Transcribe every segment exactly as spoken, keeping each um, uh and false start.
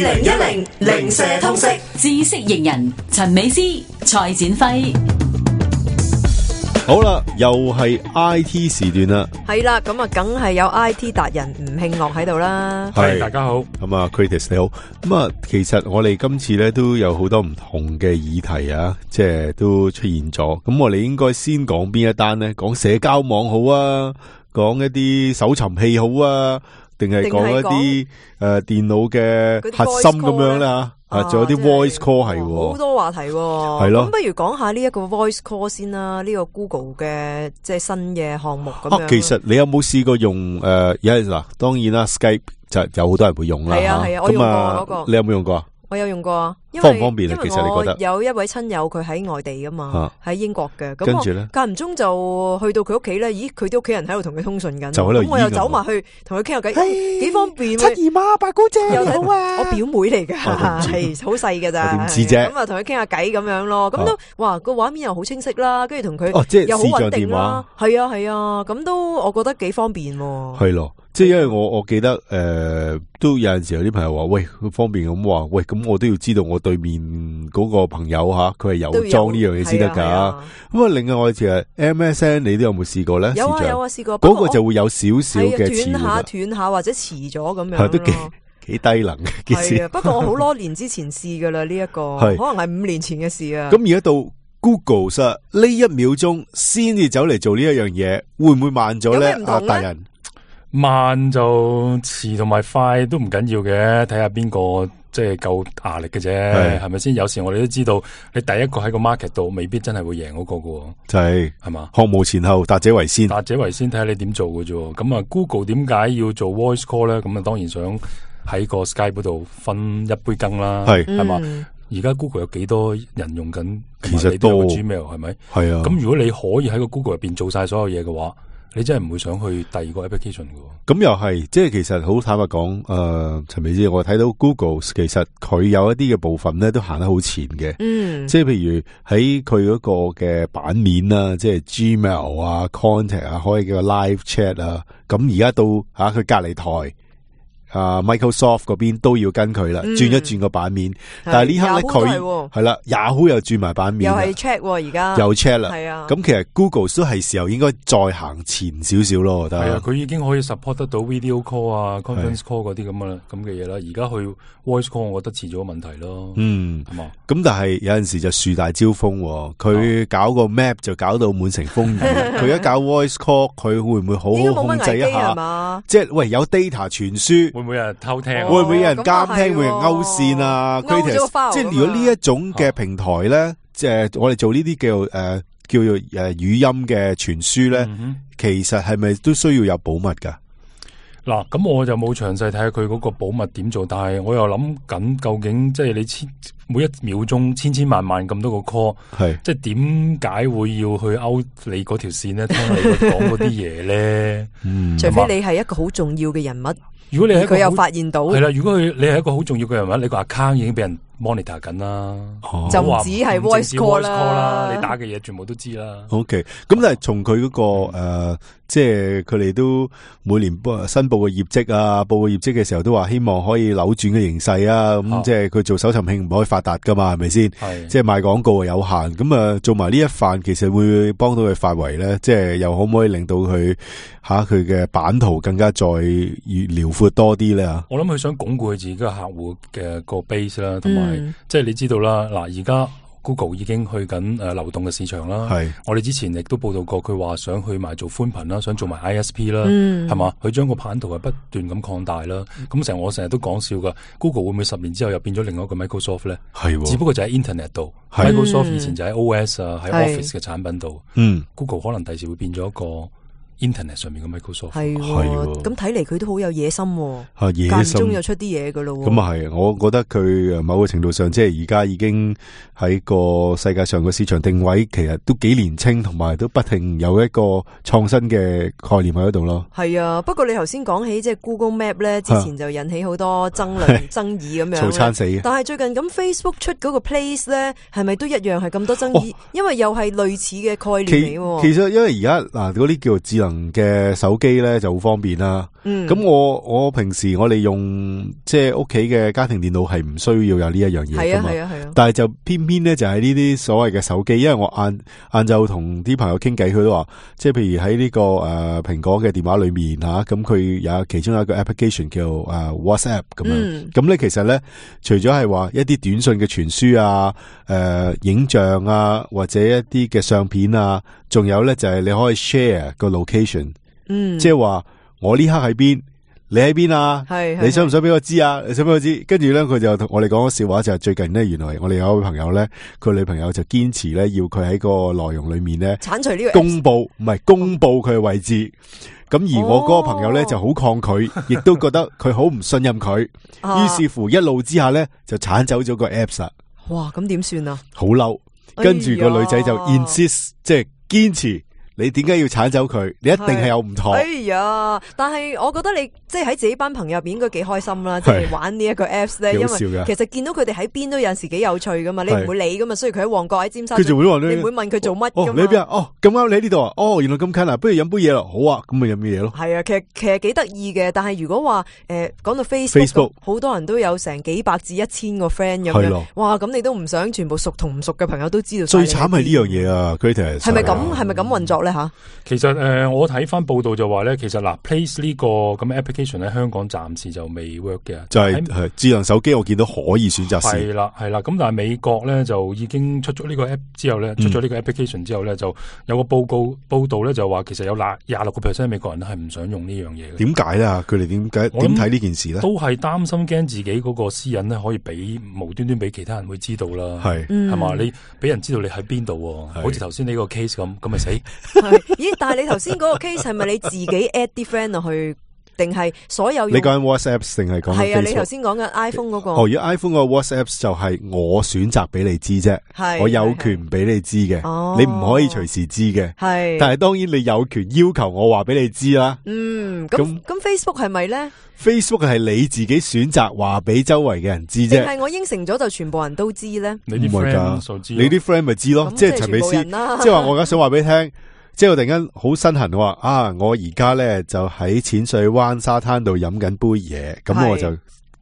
零一零零舍通識知識型人陳美詩、蔡展輝。好啦，又係 I T 時段啦，係啦，咁啊，梗係有 I T 達人吳慶樂喺度啦。係，大家好。咁啊 ，Kritis 你好。咁啊，其實我哋今次咧都有好多唔同嘅議題啊，即係都出現咗。咁我哋應該先講邊一單咧？講社交網好啊，講一啲搜尋器好啊，定係講一啲誒電腦嘅核心咁樣咧吓？啊，仲有啲 voice call 係，好多話題喎。係咯，咁不如講下呢一個 voice call 先啦，呢個 Google 嘅即係新嘅項目咁樣。啊，其實你有冇試過用誒？有嗱，當然啦 ，Skype 就有好多人會用啦。係啊係啊，我用過嗰個。你有冇用過啊？我有用過啊。方唔方便啊？其實你覺得有一位親友佢喺外地噶嘛，喺英國嘅，咁跟住咧間唔中就去到佢屋企咧，咦，佢啲屋企人喺度同佢通訊緊，咁我又走埋去同佢傾下偈，幾方便。七姨媽、八姑姐你好啊！我表妹嚟噶，係好細噶咋，點知啫？咁啊同佢傾下偈咁樣咯，咁都哇個畫面又好清晰啦，跟住同佢又好穩定啦，係啊係啊，咁都我覺得幾方便。係咯。即係因為我我記得誒、呃、都有陣時有啲朋友話喂，佢方便咁話喂，咁我都要知道我對面嗰個朋友吓佢係有裝呢樣嘢先得噶。咁啊，另外就係 M S N 你都有冇試過咧？有啊有啊試過，嗰、那個就會有少少嘅遲斷下斷下或者遲咗咁樣，係都幾幾低能嘅件事。係啊，不過我好多年之前試噶啦呢一個，可能係五年前嘅事啊。咁而家到 Google 實呢一秒鐘先至走嚟做呢一樣嘢，會唔會慢咗咧？啊，大人。慢就遲同埋快都唔緊要嘅，睇下邊個即係夠壓力嘅啫，係咪先？有時我哋都知道，你第一個喺個 market 度，未必真係會贏嗰個嘅，就係係嘛？項目前後，達者為先，達者為先，睇下你點做嘅啫。咁啊 ，Google 點解要做 voice call 咧？咁啊，當然想喺個 Skype 嗰度分一杯羹啦，係係嘛？而家 Google 有幾多人用緊？其實都 Gmail 係咪？係啊。咁如果你可以喺個 Google 入邊做晒所有嘢嘅話，你真係唔會想去第二個 application 嘅。咁又係，即係其實好坦白講，誒、呃，陳美芝，我睇到 Google 其實佢有一啲嘅部分咧，都行得好前嘅。嗯，即係譬如喺佢嗰個嘅版面啊，即係 Gmail 啊、Contact 啊，可以叫個 Live Chat 啊。咁而家到吓佢隔籬台。啊 ，Microsoft 嗰邊都要跟佢啦，轉、嗯、一轉個版面。但係呢刻咧，佢係啦 ，Yahoo 又轉埋版面，又係 Chat 而家又 Chat 啦。係啊，咁其實 Google 都係時候應該再行前少少咯。我覺得係啊，佢已經可以 support 得到 video call 啊、conference call 嗰啲咁嘅咁嘅嘢啦。而家去 voice call， 我覺得遲咗個問題咯。嗯，係嘛。咁但係有陣時就樹大招風，佢搞個 map 就搞到滿城風雨。佢一搞 voice call，佢會唔會好好控制一下？即係喂，有 data 傳輸。會唔會有人偷聽？會唔會有人監聽？會有人勾線啊？即係如果呢一種嘅平台咧，即係我哋做呢啲叫誒叫做誒語音嘅傳輸咧，其實係咪都需要有保密噶？嗱，咁我就冇詳細睇下佢嗰個保密點做，但係我又諗緊，究竟即係你千每一秒鐘千千萬萬咁多個 call， 係即係點解會要去勾你嗰條線咧？聽你講嗰啲嘢咧？嗯，除非你係一個好重要嘅人物。如果你係佢又發現到係啦，如果佢你係一個好重要嘅人物，你個 account 已經俾人 monitor 緊啦，哦、就唔止係 voice call 啦，你打嘅嘢全部都知啦。OK，咁但係從佢嗰個誒、呃，即係佢哋都每年申報嘅業績啊，報個業績嘅時候都話希望可以扭轉嘅形勢啊，咁、哦、即係佢做搜尋器唔可以發達噶嘛，係咪先？係，即係賣廣告有限，咁啊做埋呢一範，其實會幫到佢發圍咧，即係又可唔可以令到佢吓佢嘅版圖更加再越遼闊多啲咧？我諗佢想鞏固佢自己嘅客戶嘅個 base 啦，同埋。嗯、即係你知道啦，嗱而家 Google 已經去緊誒流動嘅市場啦。係，我哋之前亦都報道過，佢話想去埋做寬頻啦，想做埋 I S P 啦，係、嗯、嘛？佢將個版圖係不斷咁擴大啦。咁成日我成日都講笑噶 ，Google 會唔會十年之後又變咗另外一個 Microsoft 咧？係，只不過就喺 Internet 度 ，Microsoft 以前就喺 O S 啊，喺 Office 嘅產品度。嗯 ，Google 可能第時會變咗一個。Internet 上面嘅 Microsoft 係，咁睇嚟佢都好有野心，啊野心，間中又出啲嘢噶咯。咁啊係，我覺得佢某個程度上，即係而家已經喺個世界上個市場定位，其實都幾年輕，同埋都不停有一個創新嘅概念喺度咯。係啊，不過你頭先講起即係 Google Map 咧，之前就引起好多爭論、爭議咁樣，嘈餐死。但係最近咁 Facebook 出嗰個 Place 咧，係咪都一樣係咁多爭議？哦、因為又係類似嘅概念嚟。其實因為而家嗱嗰啲叫做智能嘅手機咧就好方便啦。咁、嗯、我我平時我哋用即係屋企嘅家庭電腦係唔需要有呢一樣嘢噶嘛，係啊係啊係啊。但係就偏偏咧就係呢啲所謂嘅手機，因為我晏晏晝同啲朋友傾偈，佢都話，即係譬如喺呢、這個誒蘋、呃、果嘅電話裏面吓，咁、啊、佢有其中有一個 application 叫誒、呃、WhatsApp 咁樣。咁、嗯、咧其實咧，除咗係話一啲短信嘅傳輸啊、誒、呃、影像啊，或者一啲嘅相片啊，仲有咧就係、是、你可以 share 個 location，嗯，即係話我呢刻喺邊，你喺邊啊？係，你想唔想俾我知啊？你想俾我知？跟住咧，佢就同我哋講個笑話，就係、是、最近咧，原來我哋有一位朋友咧，佢女朋友就堅持咧，要佢喺個內容裏面咧，鏟除呢個公布，唔係公布佢嘅位置。咁而我嗰個朋友咧就好抗拒，亦、哦、都覺得佢好唔信任佢，於、啊、是乎一怒之下咧就鏟走咗個 apps 啦。哇！咁點算啊？好嬲，跟住個女仔就 insist，、哎、即係堅持。你點解要鏟走佢？你一定係有唔妥。哎呀！但係我覺得你即係喺自己班朋友入邊應該幾開心啦，即係玩呢一個 apps 咧，因為其實見到佢哋喺邊都有陣時幾有趣噶嘛，你唔會理噶嘛。所以佢喺旺角喺尖沙咀，你唔會問佢做乜噶嘛。你喺邊啊？哦，咁啱你喺呢度啊？哦，原來咁近啊！不如飲杯嘢咯。好啊，咁咪飲嘢咯。係啊，其實其實幾得意嘅。但係如果話誒講到 Facebook，好多人都有成幾百至一千個 friend 咁樣。哇！咁你都唔想全部熟同唔熟嘅朋友都知道。最慘係呢樣嘢啊 ，Creator 係咪咁？係咪咁運作咧？吓，其實。誒、呃，我睇翻報道就話咧，其實嗱 ，Place 呢個咁嘅 application 喺香港暫時就未 work 嘅，就係、是、係智能手機我見到可以選擇係啦係啦，咁但係美國咧就已經出咗呢個 app 之後咧，出咗呢個 application 之後咧、嗯，就有個報告報道咧就話，其實有廿廿六個 percent 美國人都係唔想用呢樣嘢嘅。點解咧？佢哋點解點睇呢件事咧？都係擔心驚自己嗰個私隱咧可以俾無端端俾其他人會知道啦。係係嘛？你俾人知道你喺邊度，好似頭先呢個 case 咁，咁咪死？咦？但係你頭先嗰個 case 係咪你自己 add 啲 friend 落去，定係所有用？你講緊 WhatsApp 定係講緊 Facebook？係啊，你頭先講緊 iPhone 嗰個。哦，如果 iPhone 個 WhatsApp 就係我選擇俾你知啫，我有權俾你知嘅，你唔可以隨時知嘅。係，但係當然你有權要求我話俾你知啦。嗯，咁咁 Facebook 係咪咧 ？Facebook 係你自己選擇話俾周圍嘅人知啫，定係我應承咗就全部人都知咧？你啲 friend 知，你啲 friend 咪知咯？即係陳美斯，即係話我而家想話俾你聽。即係我突然間好身痕，話啊，我而家咧就喺淺水灣沙灘度飲緊杯嘢，咁我就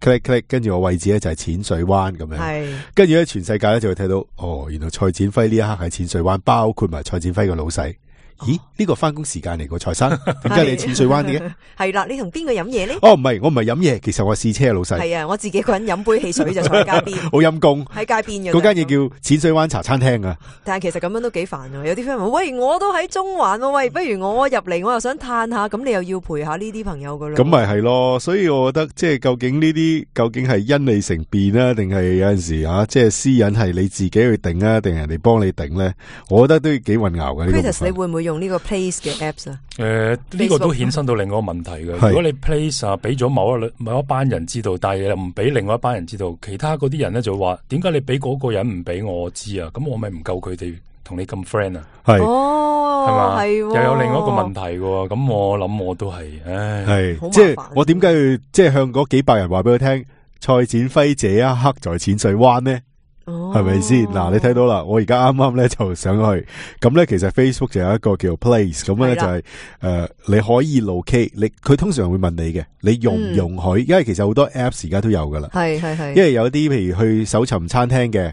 click click， 跟住我位置咧就係淺水灣咁樣，跟住咧全世界咧就會睇到，哦，原來蔡展輝呢一刻喺淺水灣，包括埋蔡展輝個老細。咦？呢個翻工時間嚟個蔡生，點解你喺淺水灣嘅？係啦，你同邊個飲嘢咧？哦，唔係，我唔係飲嘢，其實我試車老細。係啊，我自己一個人飲杯汽水就坐喺街邊，好陰功喺街邊嘅。嗰間嘢叫淺水灣茶餐廳啊。但係其實咁樣都幾煩啊！有啲 friend 話：喂，我都喺中環，喂，不如我入嚟，我又想嘆下，咁你又要陪下呢啲朋友噶啦。咁咪係咯，所以我覺得即係究竟呢啲究竟係因你成變啊，定係有陣時啊，即係私隱係你自己去定啊，定係人哋幫你定咧？我覺得都幾混淆嘅。Chris，你會唔會用呢個 Place 嘅 apps 啊？誒、呃，呢、這個都衍生到另外一個問題嘅。如果你 Place 啊，俾咗某一某一班人知道，但係又唔俾另外一班人知道，其他嗰啲人咧就話：點解你俾嗰個人唔俾我知啊？咁我咪唔夠佢哋同你咁 friend 啊？係哦，係嘛？係又有另外一個問題嘅。咁我諗我都係，唉，係即係我點解要即係向嗰幾百人話俾佢聽，蔡展輝這一刻在淺水灣呢？係咪先？嗱，你睇到啦，我而家啱啱咧就上去，咁咧其實 Facebook 就有一個叫 Place， 咁咧就係、是、誒、呃、你可以 locate， 你佢通常會問你嘅，你容唔容許、嗯？因為其實好多 Apps 而家都有噶啦，係係係，因為有啲譬如去搜尋餐廳嘅，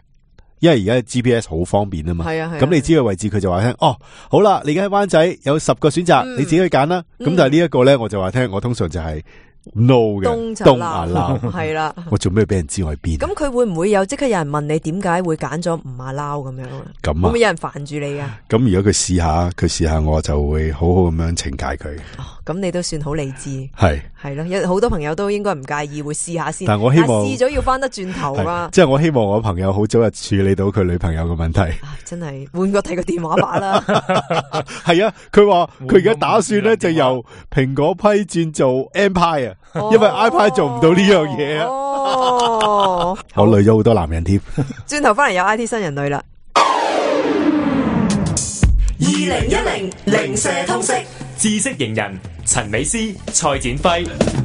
因為而家 G P S 好方便啊嘛，係啊係，咁你知個位置佢就話聽，哦，好啦，你而家喺灣仔有十個選擇、嗯，你自己去揀啦。咁、嗯、但係呢一個咧，我就話聽，我通常就係、是。no 嘅東亞撈係啦，我做咩俾人知我喺邊？咁佢會唔會有即刻有人問你點解會揀咗吳亞撈咁樣啊？咁會唔會有人煩住你噶？咁如果佢試下，佢試下我就會好好咁樣懲戒佢。哦，咁你都算好理智，係係咯，有好多朋友都應該唔介意會試下先。但係我希望試咗要翻得轉頭啊！即係我希望我朋友好早日處理到佢女朋友嘅問題。啊、真係換個睇個電話把啦。係啊，佢話佢而家打算咧就由蘋果批轉做 Empire。因為 iPad 做唔到呢樣嘢啊！哦，我累咗好多男人添。轉頭翻嚟有 I T 新人類啦。二零一零零舍通識知識型人陳美斯、蔡展輝。